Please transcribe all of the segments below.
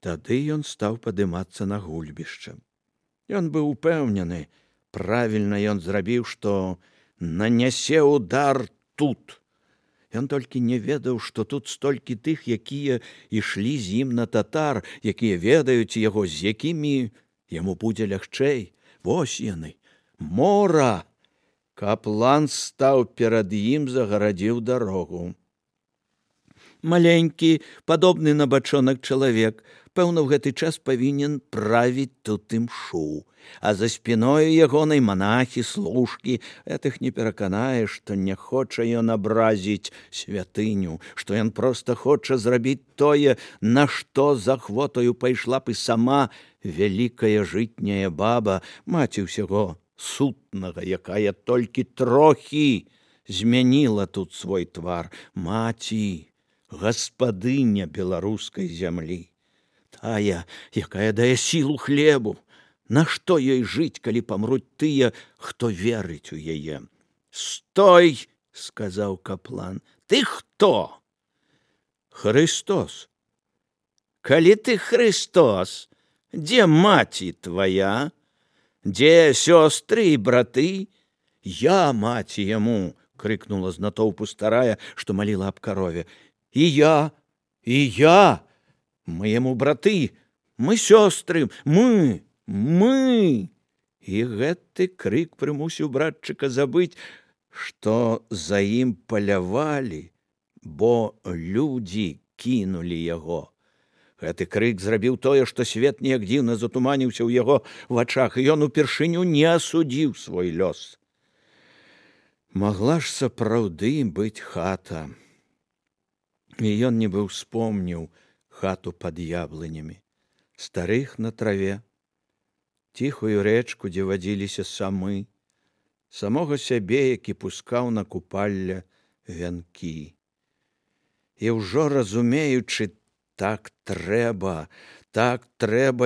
Тады ён стаў падымацца на гульбішча. Ён быў упэўнены, правільна ён зрабіў, што нанясе удар тут. Ён толькі не ведаў, што тут столькі тых, якія ішлі з ім на татар, якія ведаюць яго, з якімі яму будзе лягчэй. Вось яны, мора! Каплан стаў перад ім, загарадзіў дарогу. Маленькі, падобны на бачонак чалавек, пэўна, ў гэты час павінен правіць тут імшу, а за спіною ягонай манахі, служкі, гэтых не пераканаеш, што не хоча ён абразіць святыню, што ён проста хоча зрабіць тое, на што з ахвотаю пайшла б і сама вялікая жытняя баба, маці ўсяго сутнага, якая толькі трохі змяніла тут свой твар, маці, гаспадыня беларускай зямлі, тая, якая дае сілу хлебу. Нашто ёй жыць, калі памруць тыя, хто верыць у яе? Стой, сказаў каплан. Ты хто? Христос. Калі ты Христос, дзе маці твая? Дзе сёстры і браты? Я маці яму, крыкнула з натоўпу старая, што маліла аб карове. І я, мы яму браты, мы сёстры, мы. І гэты крык прымусіў братчыка забыць, што за ім палявалі, бо людзі кінулі яго. Гэты крык зрабіў тое, што свет неяк дзіўна затуманіўся ў яго вачах, і ён упершыню не асудзіў свой лёс. Магла ж сапраўды быць хата. І ён нібы ўспомніў хату пад яблынямі, старых на траве, ціхую рэчку, дзе вадзіліся самы, самога сябе, які пускаў на купалля вянкі. І ўжо разумеючы, так трэба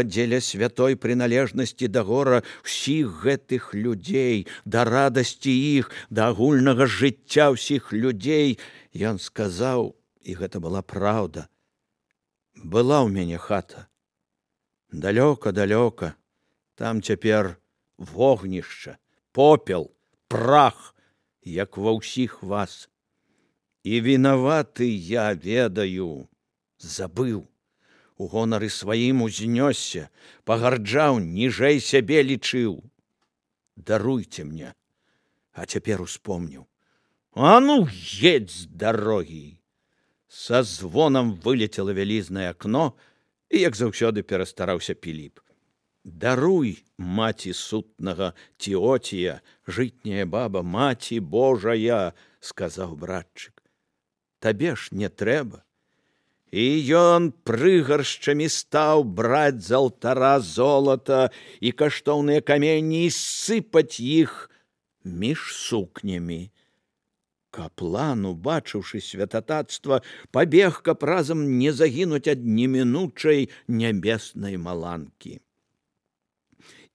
дзеля святой прыналежнасці да гора ўсіх гэтых людзей, да радасці іх, да агульнага жыцця ўсіх людзей, ён сказаў, і гэта была праўда, была ў мяне хата, далёка, там цяпер вогнішча, попел, прах, як ва ўсіх вас. І вінаваты я ведаю, забыў, у гонары сваім узнёсся, пагарджаў, ніжэй сябе лічыў. Даруйце мне, а цяпер успомніў. А ну, едь з дарогі! Са звонам вылецела вялізнае акно, і, як заўсёды, перастараўся Піліп. Даруй, маці сутнага Теотія, жытняя баба, маці Божая, сказаў братчык. Табе ж не трэба. І ён прыгаршчамі стаў браць з алтара золата і каштоўныя каменні і сыпаць іх між сукнямі. Каплан, убачыўшы святататства, пабег, каб разам не загінуць ад немінучай нябеснай маланкі.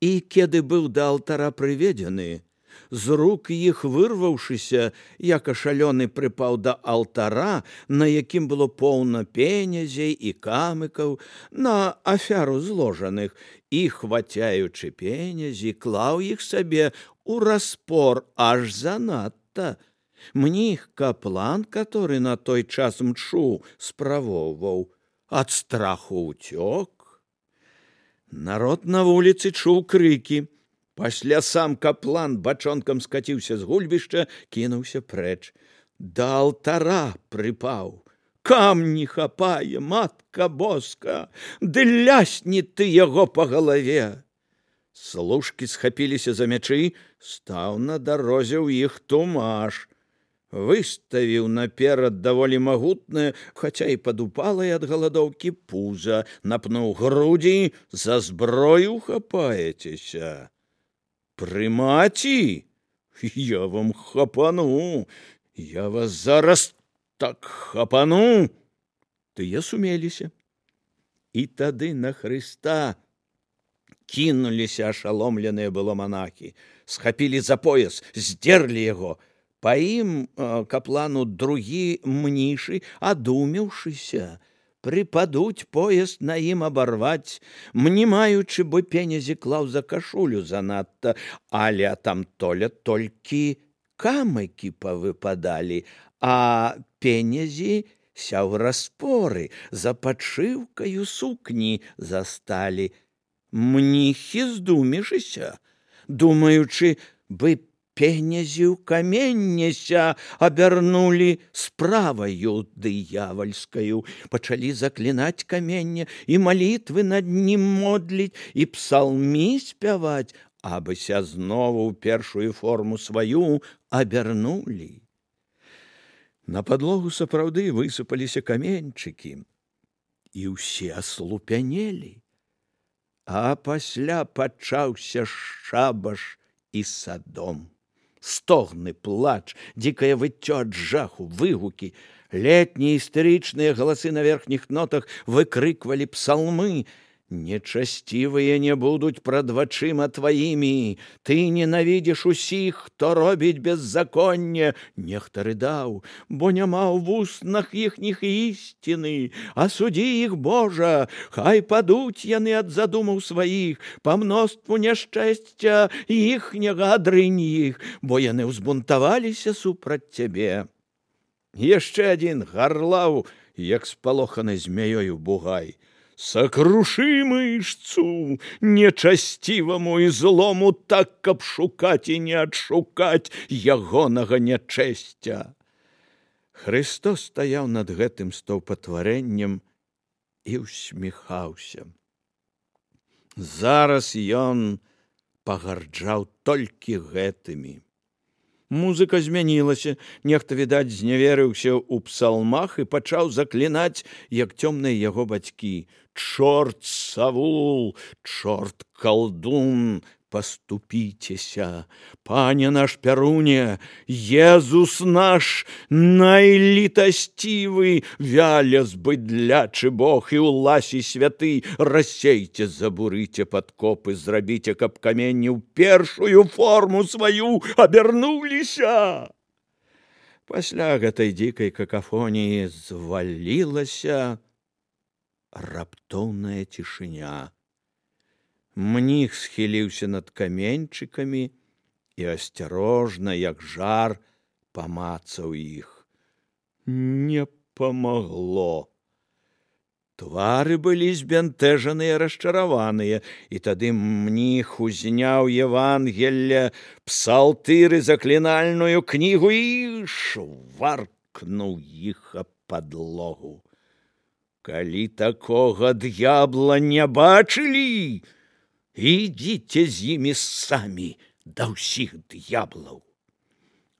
І кеды быў да алтара прыведзены, з рук іх вырваўшыся, як ашалёны прыпаў да алтара, на якім было поўна пенязей і камыкаў, на афяру зложаных, і, хвацяючы пенязі, клаў іх сабе у распор аж занадта. Мніх каплан, который на той час мчу справоўваў, ад страху ўцёк. Народ на вуліцы чуў крыкі. Пасля сам каплан бачонкам скаціўся з гульбішча, кінуўся прэч. Да алтара прыпаў. Камні хапае, матка боска, ды лясні ты яго па галаве. Служкі схапіліся за мячы, стаў на дарозе ў іх тумаш. Выставіў наперад даволі магутнае, хаця і падупалае ад галадоўкі пуза, напнуў грудзі, за зброю хапаецеся. Прымаці, я вам хапану, я вас зараз так хапану. Тыя сумеліся. І тады на Хрыста кінуліся ашаломленыя было манахі, схапілі за пояс, здерлі яго. Па ім каплану другі мнішы, адумеўшыся, припадуць пояс на ім абарваць, мнімаючы, бо пенязі клаў за кашулю занадта, але там толькі камыкі павыпадалі, а пенязі сяў распоры, за падшыўкаю сукні засталі. Мніхі здумішыся, думаючы, бы пенязі ў каменняся абярнулі справаю дыявальскаю, пачалі заклінаць каменне і малітвы над нім модліць і псалмі спяваць, абыся знову ў першую форму сваю абярнулі. На падлогу сапраўды высыпаліся каменьчыкі, і ўсе аслупянелі. А пасля пачаўся шабаш і садом. Стогны, плач, дзікае выццё ад жаху, выгукі. Летнія істэрычныя галасы на верхніх нотах выкрыквалі псалмы. Нечасцівыя не будуць прад вачыма тваімі. Ты ненавідзіш усіх, хто робіць беззаконне. Нехта рыдаў, бо няма ў вуснах іхніх ісціны. Асудзі іх, Божа, хай падуць яны ад задумаў сваіх, па мноству няшчасця іхняга адрынь іх, бо яны ўзбунтаваліся супраць цябе. Яшчэ адзін гарлаў, як спалоханы змяёю бугай. Сакрушы мышцу нечасціваму і злому так, каб шукаць і не адшукаць ягонага нячэсця. Христос стаяў над гэтым стаўпатварэннем і ўсміхаўся. Зараз ён пагарджаў толькі гэтымі. Музыка змянілася, нехта, відаць, зняверыўся ў псалмах і пачаў заклінаць, як цёмныя яго бацькі. Чорт Савул, чорт калдун, паступіцеся. Пане наш Пяруне, Езус наш найлітасцівы, вялез быдлячы Бог і ўласі святы, рассейце, забурыце падкопы, зрабіце, каб каменні ў першую форму сваю абярнуліся. Пасля гэтай дзікай какафоніі звалілася раптоўная цішыня. Мніх схіліўся над каменьчыкамі і асцярожна, як жар, памацаў іх. Не памагло. Твары былі збянтэжаныя, расчараваныя, і тады мніх узняў Евангелле, псалтыры, заклінальную кнігу і шваркнуў іх аб падлогу. Калі такога д'ябла не бачылі, ідзіце з імі самі да ўсіх д'яблаў.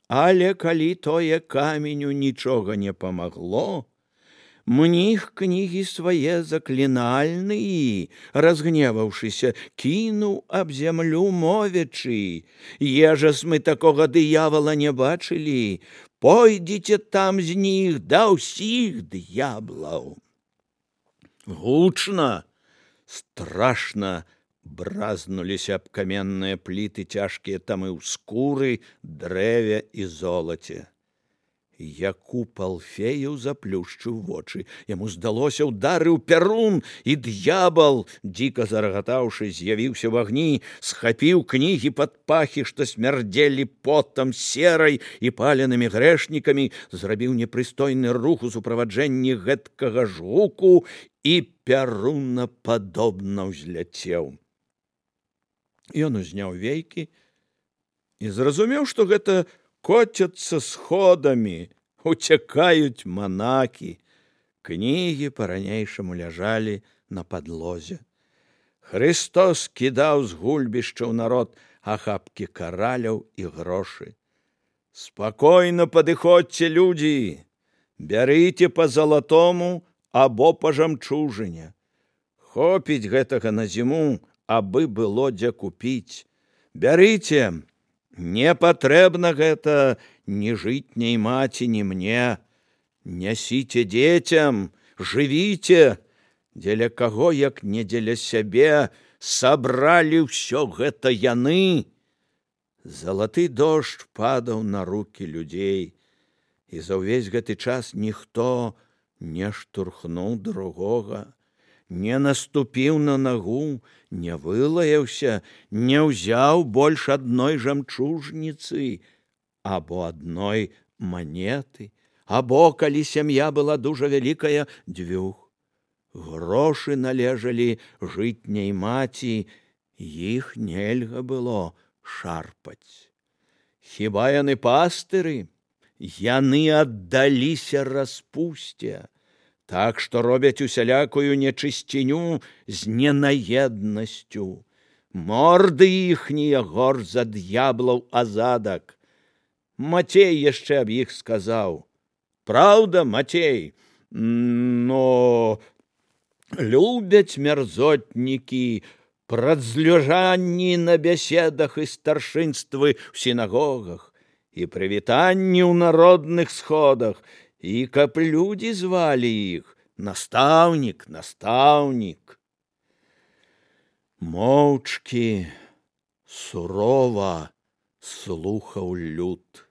Але калі тое каменю нічога не памагло, мніх кнігі свае заклінальныя, разгневаўшыся, кінуў аб зямлю мовячы: «Ежас мы такога д'явола не бачылі, пойдзіце там з них да ўсіх д'яблаў». Гучна, страшна бразнуліся аб каменныя пліты цяжкія тамы ў скуры, дрэве і золаце. Якуб Алфеяў заплюшчыў вочы. Яму здалося, ударыў Пярун, і д'ябал, дзіка зарагатаўшы, з'явіўся ў агні, схапіў кнігі пад пахі, што смярдзелі потам, серай і паленымі грэшнікамі, зрабіў непрыстойны рух у суправаджэнні гэткага ж гуку і пярунападобна ўзляцеў. Ён узняў вейкі і зразумеў, што гэта коцяцца сходамі, уцякаюць манакі. Кнігі па-ранейшаму ляжалі на падлозе. Христос кідаў з гульбішчаў народ ахапкі караляў і грошы. Спакойна падыходзьце, людзі, бярыце па залатому або па жамчужыне. Хопіць гэтага на зіму, абы было дзе купіць. Бярыце, не патрэбна гэта ні жытняй маці, ні мне. Нясіце дзецям, жывіце, дзеля каго, як не дзеля сябе, сабралі ўсё гэта яны. Залаты дождж падаў на рукі людзей, і за ўвесь гэты час ніхто не штурхнуў другога, не наступіў на нагу, не вылаяўся, не ўзяў больш адной жамчужніцы або адной манеты, або, калі сям'я была дужа вялікая, дзвюх. Грошы належалі жытняй маці, іх нельга было шарпаць. Хіба яны пастыры? Яны аддаліся распусце, так што робяць усялякую нечысціню з ненаеднасцю. Морды іхнія горш за д'яблаў азадак. Мацей яшчэ аб іх сказаў. Праўда, Мацей? Но любяць мярзотнікі прадзлежанні на бяседах і старшынствы ў сінагогах, і прывітанні ў народных сходах, і каб людзі звалі іх настаўнік, настаўнік. Моўчкі, сурова слухаў люд.